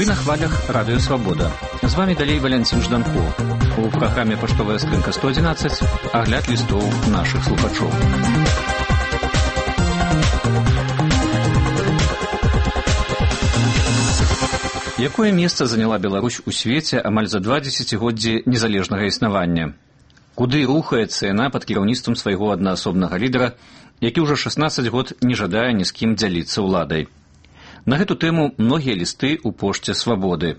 на хвалях Радио Свобода. З вами далей Валянцін Жданков. У праграме «Паштовая скрынка 111» агляд лістоў нашых слухачоў. Якое месца заняла Беларусь у свеце амаль за 2 дзесяцігоддзі незалежнага існавання? Куды рухаецца яна пад кіраўніцтвам свайго аднаасобнага лідара, які ўжо 16 год не жадае ні з кім дзяліцца ўладай? На гэту тэму многія лісты ў пошце «Свабоды».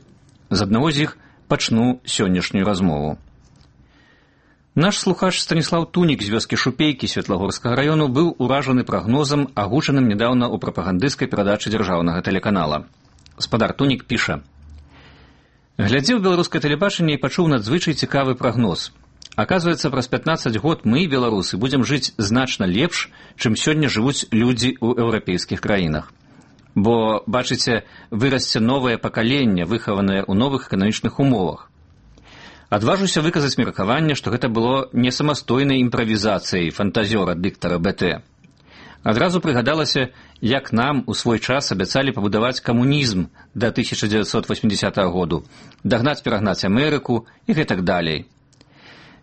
З аднаго з іх пачну сённяшнюю размову. Наш слухач Станіслаў Тунік з вёскі Шупейкі Светлагорскага раёну быў уражаны прагнозам, агучаным нядаўна ў прапагандысцкай перадачы дзяржаўнага тэлеканала. Спадар Тунік піша: «Глядзеў беларускае тэлебачанне і пачуў надзвычай цікавы прагноз. Аказваецца, праз 15 год мы, беларусы, будзем жыць значна лепш, чым сёння жывуць людзі ў еўрапейскіх краінах. Бо, бачыце, вырасце новае пакаленне, выхаванае ў новых эканамічных умовах. Адважуся выказаць меркаванне, што гэта было не самастойнай імправізацыяй фантазёра дыктара БТ. Адразу прыгадалася, як нам у свой час абяцалі пабудаваць камунізм да 1980 году, дагнаць-перагнаць Амерыку і гэтак далей.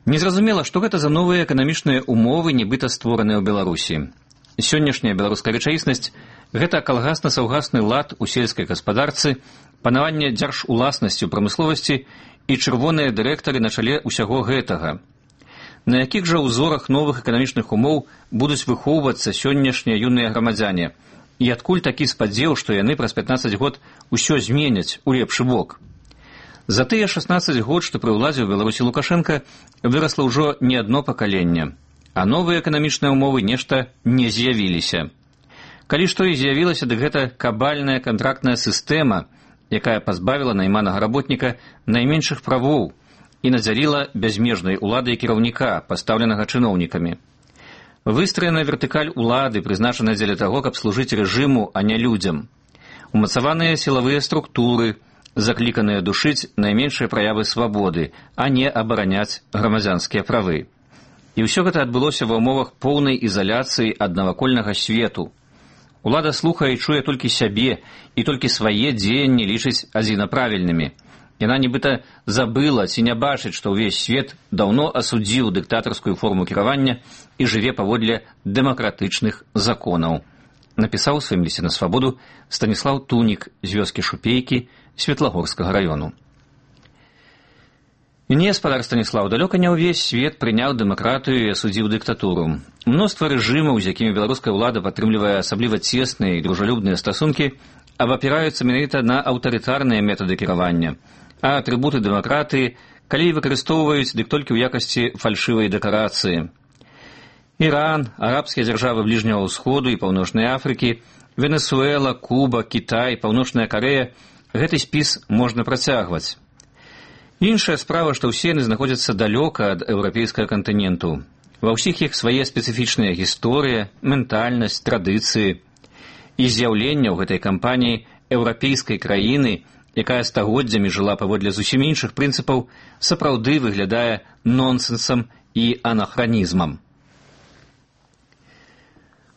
Незразумела, што гэта за новыя эканамічныя умовы, нібыта створаныя ў Беларусі. Сённяшняя беларуская рэчаіснасць – гэта калгасна-саўгасны лад у сельскай гаспадарцы, панаванне дзяржуласнасці ў прамысловасці і чырвоныя дырэктары на чале ўсяго гэтага. На якіх жа ўзорах новых эканамічных умоў будуць выхоўвацца сённяшнія юныя грамадзяне? І адкуль такі спадзеў, што яны праз 15 год усё зменяць у лепшы бок? За тыя 16 год, што пры ўладзе ў Беларусі Лукашенка, вырасла ўжо не адно пакаленне, а новыя эканамічныя умовы нешта не з'явіліся. Калі што і з'явілася, дык гэта кабальная кантрактная сістэма, якая пазбавіла найманага работніка найменшых правоў і надзяліла бязмежнай уладай кіраўніка, пастаўленага чыноўнікамі. Выстраена вертыкаль улады, прызначаная дзеля таго, каб служыць рэжыму, а не людзям. Умацаваныя сілавыя структуры, закліканыя душыць найменшыя праявы свабоды, а не абараняць грамадзянскія правы. І ўсё гэта адбылося ва ўмовах поўнай ізаляцыі ад навакольнага свету. Улада слухае і чуе толькі сябе, і толькі свае дзеянні лічыць адзінаправільнымі. Яна нібыта забыла ці не бачыць, што ўвесь свет даўно асудзіў дыктатарскую форму кіравання і жыве паводле дэмакратычных законаў. Напісаў у сваім лісце на Свабоду Станіслаў Тунік з вёскі Шупейкі Светлагорскага раёну. Не, спадар Станіслаў, далёка не ўвесь свет прыняў дэмакратыю і асудзіў дыктатуру. Мноства рэжымаў, з якімі беларуская ўлада падтрымлівае асабліва цесныя і дружалюбныя стасункі, абапіраюцца менавіта на аўтарытарныя метады кіравання, а атрыбуты дэмакратыі, калі выкарыстоўваюць, дык толькі ў якасці фальшывай дэкарацыі. Іран, арабскія дзяржавы Бліжняга ўсходу і Паўночнай Афрыкі, Венесуэла, Куба, Кітай, Паўночная Карэя – гэты спіс можна працягваць. Іншая справа, што ўсе яны знаходзяцца далёка ад еўрапейскага кантыненту. Ва ўсіх іх свае спецыфічныя гісторыя, ментальнасць, традыцыі. І з'яўленне ў гэтай кампаніі еўрапейскай краіны, якая стагоддзямі жыла паводле зусім іншых прынцыпаў, сапраўды выглядае нонсенсам і анахранізмам.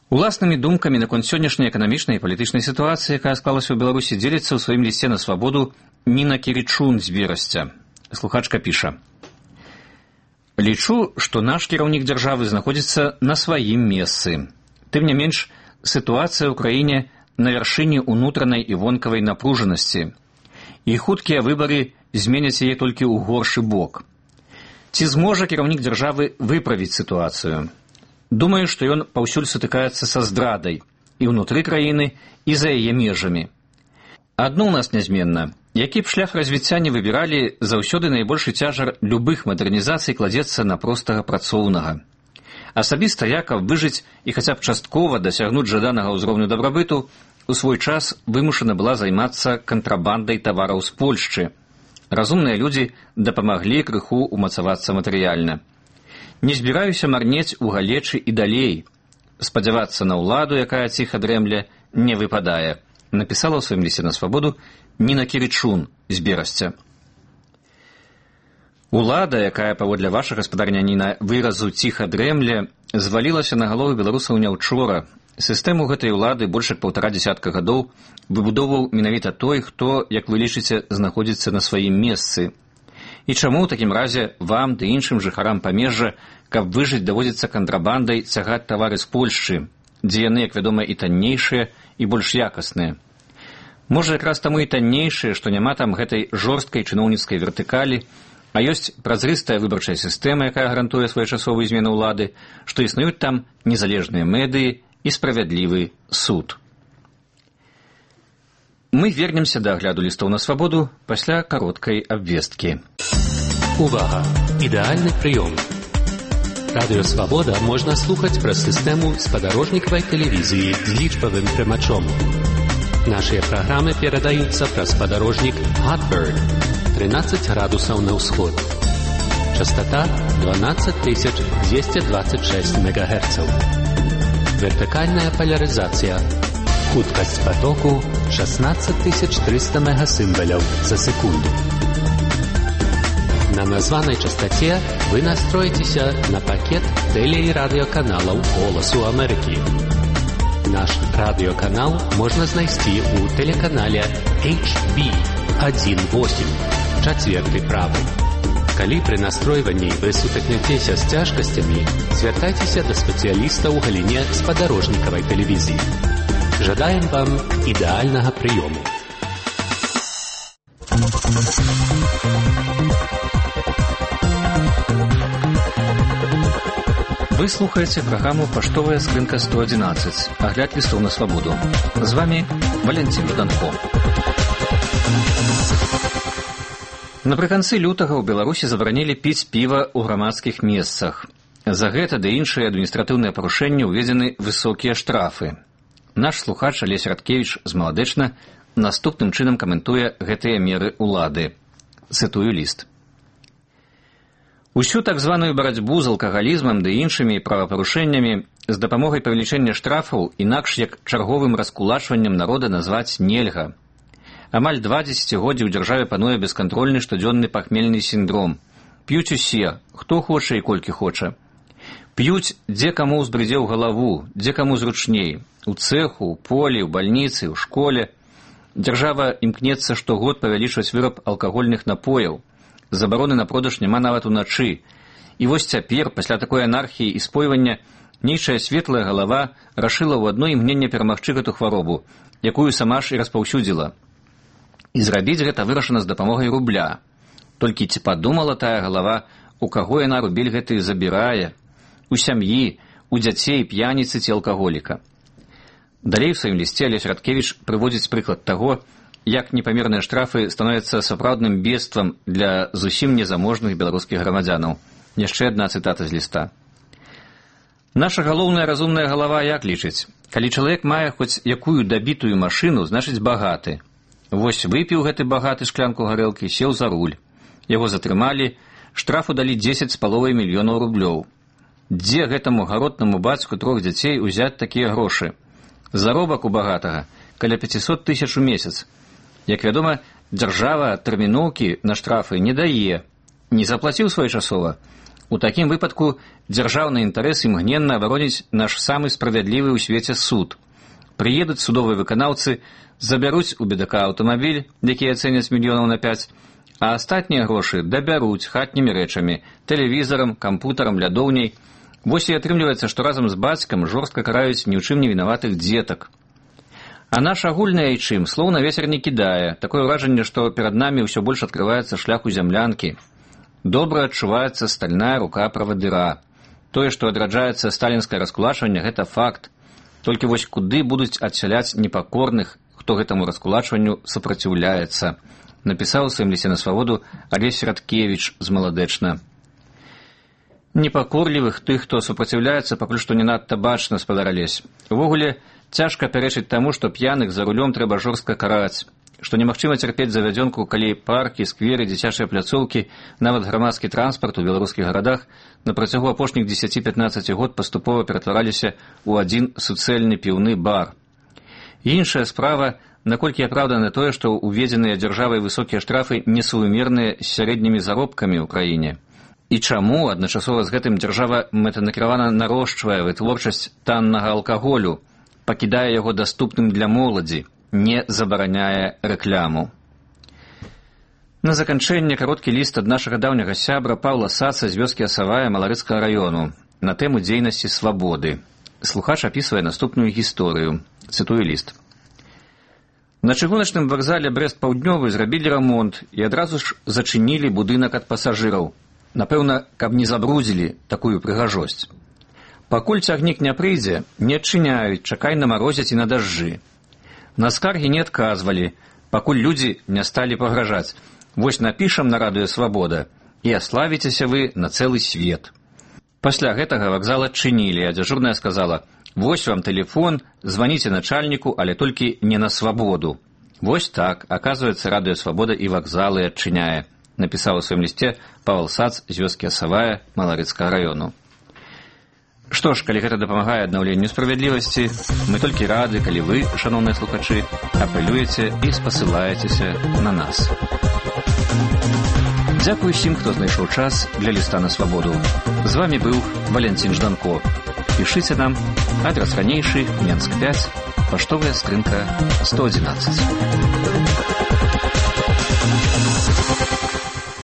Уласнымі думкамі наконт сённяшняй эканамічнай і палітычнай сітуацыі, якая склалася ў Беларусі, дзеліцца ў сваім лісце на Свабоду Ніна Кірычун з Берасця. Слухачка піша: «Лічу, што наш кіраўнік дзяржавы знаходзіцца на сваім месцы. Тым не менш, сітуацыя ў краіне на вяршыні ўнутранай і вонкавай напружанасці. І хуткія выбары зменяць яе толькі ў горшы бок. Ці зможа кіраўнік дзяржавы выправіць сітуацыю? Думаю, што ён паўсюль сутыкаецца са здрадай і ўнутры краіны, і за яе межамі. Адно ў нас нязменна. Які б шлях развіцця не выбіралі, заўсёды найбольшы цяжар любых мадэрнізацый кладзецца на простага працоўнага. Асабіста я, каб выжыць і хаця б часткова дасягнуць жаданага ўзроўню дабрабыту, у свой час вымушана была займацца кантрабандай тавараў з Польшчы. Разумныя людзі дапамаглі крыху умацавацца матэрыяльна. Не збіраюся марнець у галечы і далей. Спадзявацца на ўладу, якая ціха дрэмля, не выпадае», напісала ў сваім лісце на Свабоду Ніна Кірычун з Берасця. Улада, якая, паводле вашага, спадарня Ніна, выразу ціха дрэмля, звалілася на галовы беларусаў не ўчора. Сістэму гэтай улады больш як 1,5 дзесятка гадоў выбудоўваў менавіта той, хто, як вы лічыце, знаходзіцца на сваім месцы. І чаму ў такім разе вам ды іншым жыхарам памежжа, каб выжыць, даводзіцца кантрабандай цягаць тавары з Польшчы, дзе яны, як вядома, і таннейшыя, і больш якасныя. Можа, якраз таму і таннейшыя, што няма там гэтай жорсткай чыноўніцкай вертыкалі, а ёсць празрыстая выбарчая сістэма, якая гарантуе своечасовую змену ўлады, што існуюць там незалежныя медыі і справядлівы суд. Мы вернемся да агляду лістоў на свабоду пасля кароткай абвесткі. Увага! Ідэальны прыём. Радыё «Свабода» можна слухаць праз сістэму спадарожнікавай тэлевізіі з лічбавым прымачом. Нашыя праграмы перадаюцца праз спадарожнік Hotbird 13 градусаў на ўсход. Частота 12226 МГц. Вертыкальная полярызацыя. Хуткасць потоку 16300 мегасімваляў за секунду. На названай частоце вы настроіцеся на пакет тэле- і радыёканалаў «Голасу Амерыкі». Наш радыёканал можна знайсці ў тэлеканале HB18, чацверты правы. Калі пры настройванні вы сутыкнецеся з цяжкасцямі, звяртайцеся да спецыяліста ў галіне спадарожнікавай тэлевізіі. Жадаем вам ідэальнага прыёму. Вы слухаеце праграму «Паштовая скрынка 111», агляд лістоў на свабоду. З вами Валентин Жданко. Напрыканцы лютага ў Беларусі забаранілі піць піва ў грамадскіх месцах. За гэта ды іншыя адміністратыўныя парушэнні ўведзены высокія штрафы. Наш слухач Алесь Радкевіч з Маладэчна наступным чынам каментуе гэтыя меры ўлады. Цытую ліст. Усю так званую барацьбу з алкагалізмам ды іншымі правапарушэннямі з дапамогай павелічэння штрафаў інакш як чарговым раскулачваннем народа назваць нельга. Амаль 2 дзесяцігоддзі ў дзяржаве пануе бескантрольны штодзённы пахмельны сіндром. П'юць усе, хто хоча і колькі хоча. П'юць, дзе каму ўзбрыдзе ў галаву, дзе каму зручней. У цэху, у полі, у бальніцы, у школе. Дзяржава імкнецца штогод павялічваць выраб алкагольных напояў. Забароны на продаж няма нават уначы. І вось цяпер, пасля такой анархіі і спойвання, нейчая светлая галава рашыла ў адно імгненне перамагчы гэту хваробу, якую сама ж і распаўсюдзіла. І зрабіць гэта вырашана з дапамогай рубля. Толькі ці падумала тая галава, у каго яна рубель гэты забірае? У сям'і, у дзяцей, п'яніцы ці алкаголіка. Далей у сваім лісце Алесь Радкевіч прыводзіць прыклад таго, як непамерныя штрафы становяцца сапраўдным бедствам для зусім незаможных беларускіх грамадзянаў. Яшчэ адна цытата з ліста. Наша галоўная разумная галава як лічыць? Калі чалавек мае хоць якую дабітую машыну, значыць багаты. Вось выпіў гэты багаты шклянку гарэлкі, сеў за руль. Яго затрымалі, штрафу далі 10,5 мільёнаў рублёў. Дзе гэтаму гаротнаму бацьку 3 дзяцей узяць такія грошы? Заробак у багатага каля 500 000 у месяц. Як вядома, дзяржава тэрміноўкі на штрафы не дае. Не заплаціў своечасова. У такім выпадку дзяржаўны інтарэс імгненна абароніць наш самы справядлівы ў свеце суд. Прыедуць судовыя выканаўцы, забяруць у бедака аўтамабіль, які ацэняць мільёнаў на 5, а астатнія грошы дабяруць хатнімі рэчамі, тэлевізарам, кампутарам, лядоўняй. Вось і атрымліваецца, што разам з бацькам жорстка караюць ні ў чым не вінаватых дзетак. А наш агульны айчым слоў на вецер не кідае. Такое ўражанне, што перад намі ўсё больш адкрываецца шлях у зямлянкі. Добра адчуваецца стальная рука правадыра. Тое, што адраджаецца сталінскае раскулачванне, гэта факт. Толькі вось куды будуць адсяляць непакорных, хто гэтаму раскулачванню супраціўляецца, напісаў у сваім лісце на свабоду Алесь Радкевіч з Маладэчна. Непакорлівых тых, хто супраціўляецца, пакуль што не надта бачна, спадар Алесь. Увогуле, цяжка пярэчыць таму, што п'яных за рулём трэба жорстка караць, што немагчыма цярпець завядзёнку, калі паркі, скверы, дзіцячыя пляцоўкі, нават грамадскі транспарт у беларускіх гарадах на працягу апошніх 10-15 год паступова ператвараліся ў адзін суцэльны піўны бар. Іншая справа, наколькі апраўдана тое, што уведзеныя дзяржавай высокія штрафы несуімерныя з сярэднімі заробкамі ў краіне. І чаму адначасова з гэтым дзяржава мэтанакіравана нарошчвае вытворчасць таннага алкаголю, пакідае яго даступным для моладзі, не забараняе рэкляму. На заканчэнне кароткі ліст ад нашага даўняга сябра Паўла Саца з вёскі Асавая Маларыцкага раёну на тэму дзейнасці свабоды. Слухач апісвае наступную гісторыю. Цытую ліст. На чыгуначным вакзале Брэст-Паўднёвы зрабілі рамонт і адразу ж зачынілі будынак ад пасажыраў. Напэўна, каб не забрудзілі такую прыгажосць. Пакуль цягнік не прыйдзе, не адчыняюць, чакай намарозяць і на дажджы. На скаргі не адказвалі, пакуль людзі не сталі пагражаць. Вось напішам на радыё «Свабода» і аславіцеся вы на цэлы свет. Пасля гэтага вакзал адчынілі, а дзяжурная сказала: «Вось вам тэлефон, званіце начальніку, але толькі не на свабоду». Вось так, аказваецца, радыё «Свабода» і вакзалы адчыняе, напісаў у сваім лісце Павел Сац з вёскі Асавая Маларыцкага раёну. Што ж, калі гэта дапамагае аднаўленню справядлівасці, мы толькі рады, калі вы, шаноўныя слухачы, апелюеце і спасылаецеся на нас. Дзякуй усім, хто знайшоў час для ліста на свабоду. З вами быў Валянцін Жданко. Пішыце нам, адрас ранейшы, Менск 5, паштовая скрынка 111.